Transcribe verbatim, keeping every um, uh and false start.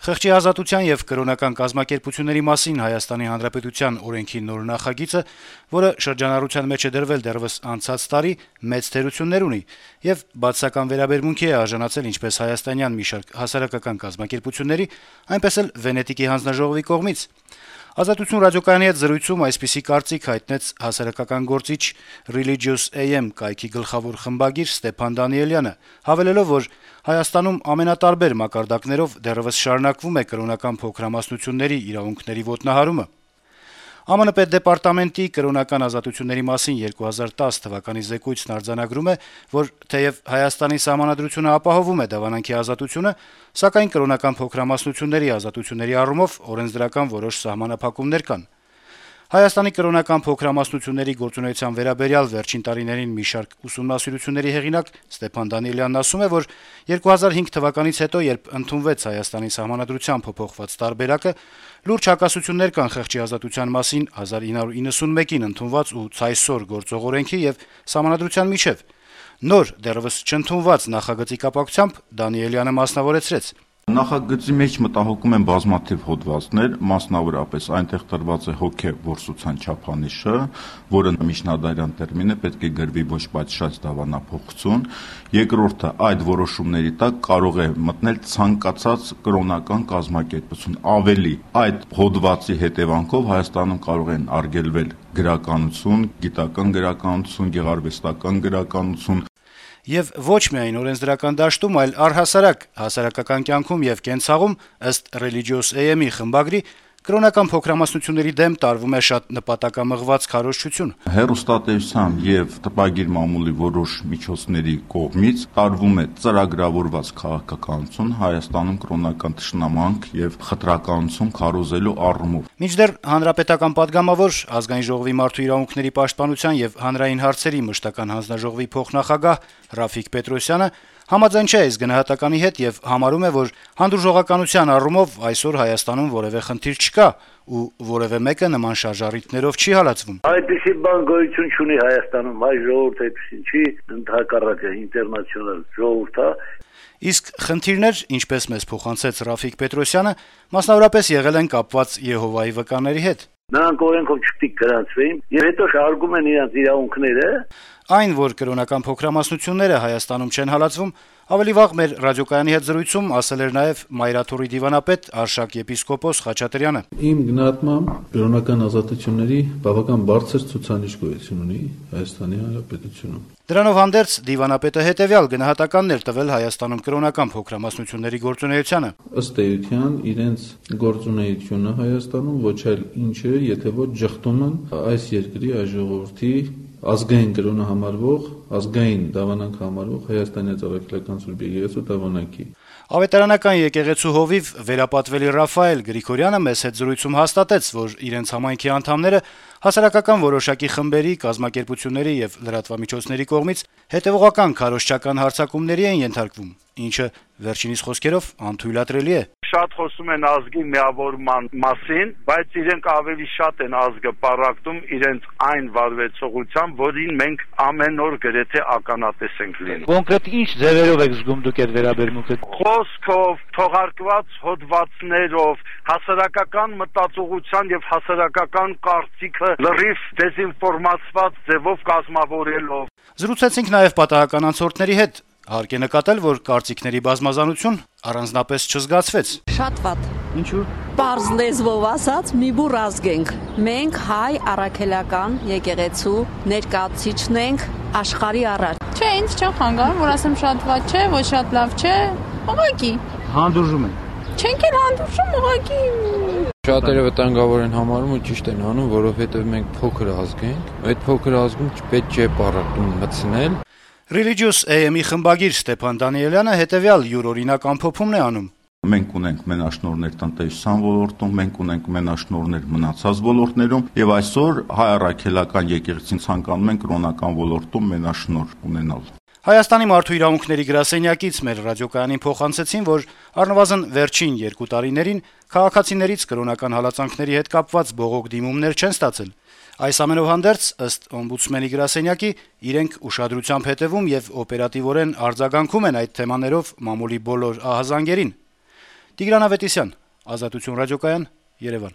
Խղճի ազատության եւ կրոնական կազմակերպությունների մասին Հայաստանի Հանրապետության օրենքի նոր նախագիծը, որը շրջանառության մեջ է դրվել դեռեւս անցած տարի, մեծ թերություններ ունի եւ բացասական վերաբերմունքի է արժանացել ինչպես հայաստանյան մի շարք հասարակական կազմակերպությունների, այնպես էլ Վենետիկի հանձնաժողովի կողմից։ Ազատություն ռադիոկայանի հետ զրույցում այսպիսի կարծիք հայտնեց հասարակական գործիչ Religious A M կայքի գլխավոր խմբագիր Ստեփան Դանիելյանը, հավելելով, որ Հայաստանում ամենատարբեր մակարդակներով դեռեւս շարունակվում է կրոնական փոքրամասնությունների իրավունքների ոտնահարումը։ Ամն պետդեպարտամենտի կրոնական ազատությունների մասին երկու հազար տասը թվականի զեկույցն արձանագրում է, որ թեև Հայաստանի սահմանադրությունը ապահովում է դավանանքի ազատությունը, սակայն կրոնական փոքրամասնությունների ազատությունների առումով օրենսդրական որոշ սահմանափակումներ կան։ Հայաստանի կրոնական փոքրամասնությունների գործունեության վերաբերյալ վերջին տարիներին մի շարք ուսումնասիրությունների հեղինակ Ստեփան Դանիելյանն ասում է, որ երկու հազար հինգ թվականից հետո, երբ ընդունվեց Հայաստանի սահմանադրության փոփոխված տարբերակը, լուրջ հակասություններ կան խղճի ազատության մասին հազար ինը հարյուր իննսունմեկին ընդունված ու ցայսօր գործող օրենքի եւ սահմանադրության միջեւ։ Նոր, դեռեւս չընդունված նախագծի կապակցությամբ Դանիելյանը մասնավորեցրեց. Նախագծի մեջ մտահոգում են բազմաթիվ հոդվածներ, մասնավորապես այնտեղ տրված է հոգեվորսության չափանիշը, որը միջնադարյան տերմին է, պետք է գրվի ոչ պատշաճ դավանափոխություն։ Երկրորդը, այդ որոշումների տակ կարող է մտնել ցանկացած կրոնական կազմակերպություն։ Ավելի, այդ հոդվածի հետևանքով Հայաստանում կարող են արգելվել գրականություն, գիտական գրականություն, գեղարվեստական գրականություն։ Եվ ոչ միայն օրենսդրական դաշտում, այլ առհասարակ հասարակական կյանքում եւ կենցաղում, ըստ Religious A M-ի խմբագրի, կրոնական փոքրամասնությունների դեմ տարվում է շատ նպատակամղված քարոզչություն։ Հեռուստատեսության եւ տպագիր մամուլի որոշ միջոցների կողմից տարվում է ծրագրավորված քաղաքականություն Հայաստանում կրոնական թշնամանք եւ խտրականություն քարոզելու առումով։ Մինչդեռ հանրապետական падգամավոր, ազգային ժողովի մարդու իրավունքների պաշտպանության եւ հանրային հարցերի մշտական հանձնաժողովի փոխնախագահ Ռաֆիկ Պետրոսյանը համաձայն չէ այս գնահատականի հետ եւ համարում է, որ հանդուրժողականության առումով այսօր Հայաստանում որեւէ խնդիր չկա ու որեւէ մեկը նման շարժառիթներով չի հալածվում։ Այդպիսի բան գոյություն չունի Հայաստանում, հայ ժողովուրդ այդպիսին չի, ընդհակառակը ինտերնացիոնալ ժողովուրդ է։ Իսկ խնդիրներ, ինչպես մեզ փոխանցեց Ռաֆիկ Պետրոսյանը, մասնավորապես եղել են կապված Եհովայի վկաների հետ։ Նրանք օրենքով չպետք գրանցվեին եւ հետո շարժում են իրենց իրավունքները։ Այն, որ կրոնական փոքրամասնությունները Հայաստանում չեն հալածվում, ավելի վաղ մեր ռադիոկայանի հետ զրույցում ասել էր նաեւ Մայրաթորի դիվանապետ Արշակ եպիսկոպոս Խաչատրյանը։ Իմ գնահատմամբ կրոնական ազատությունների բավական բարձր ցուցանիշ գոյություն ունի Հայաստանի Հանրապետությունում։ Դրանով հանդերձ դիվանապետը հետեւյալ գնահատականներ տվել Հայաստանում կրոնական փոքրամասնությունների գործունեությանը։ Ըստ էության իրենց գործունեությունը Հայաստանում ոչ այլ ինչ է, եթե ոչ ճխտում են այս երկրի ժողովրդի ազգային կրոնը համարվող, ազգային դավանանք համարվող Հայաստանի Ծառայական Սուրբ Եկեղեցու դավանանքի։ Ավետարանական եկեղեցու հովիվ վերապատվելի Ռաֆայել Գրիգորյանը մեծ հետ զրույցում հաստատեց, որ իրենց համայնքի անդամները հասարակական որոշակի խմբերի, կազմակերպությունների եւ լրատվամիջոցների կողմից հետեւողական քարոզչական հարձակումների են ենթարկվում, ինչը վերջինիս խոսքերով անթույլատրելի է։ Շատ խոսում են ազգի միավորման մասին, բայց իրենք ավելի շատ են ազգը պարակտում իրենց այն վարվեցողությամբ, որին մենք ամեն օր գրեթե ականատես ենք լինում։ Կոնկրետ ինչ ձևերով եք զգում դուք այդ վերաբերմունքը։ Խոսքով, թողարկված հոդվածներով, հասարակական մտածողության եւ հասարակական կարծիքը լրիվ դեզինֆորմացված ձևով կազմավորելով։ Զրուցեցինք նաեւ պատահական անցորդների հետ։ Հարկ է նկատել, որ կարծիքների բազմազանություն առանձնապես չզգացվեց։ Շատ վատ։ Ինչու՞։ Պարզ լեզվով ասած, մի բուր ազգ ենք։ Մենք հայ առաքելական եկեղեցու ներկայացուցիչն ենք աշխարհի առաջ։ Չէ, ինձ չեմ խանգարում, որ ասեմ շատ վատ չէ, ոչ շատ լավ չէ, ուղղակի։ Հանդուրժում են։ Չենք էլ հանդուրժում, ուղղակի։ Շատերը վտանգավոր են համարում ու ճիշտ են անում, որովհետև մենք փոքր ազգ ենք։ Այդ փոքր ազգում չպետք չէ պարակտում մտցնել։ Religious A M-ի խմբագիր Ստեփան Դանիելյանը հետեւյալ յուրօրինակ ամփոփումն է անում։ Մենք ունենք մենաշնորհներ տնտեսության ոլորտում, մենք ունենք մենաշնորհներ մնացած ոլորտներում եւ այսօր հայ առաքելական եկեղեցին ցանկանում են կրոնական ոլորտում մենաշնորհ ունենալ։ Հայաստանի մարդու իրավունքների գրասենյակից մեր ռադիոկայանին փոխանցեցին, որ առնվազն վերջին երկու տարիներին քաղաքացիներից կրոնական հալածանքների հետ կապված բողոք դիմումներ չեն ստացել։ Այս ամենով հանդերձ, ըստ օմբուդսմենի գրասենյակի, իրենք ուշադրությամբ հետևում եւ օպերատիվորեն արձագանքում են այդ թեմաներով մամուլի բոլոր ահազանգերին։ Տիգրան Ավետիսյան, Ազատություն ռադիոկայան, Երևան։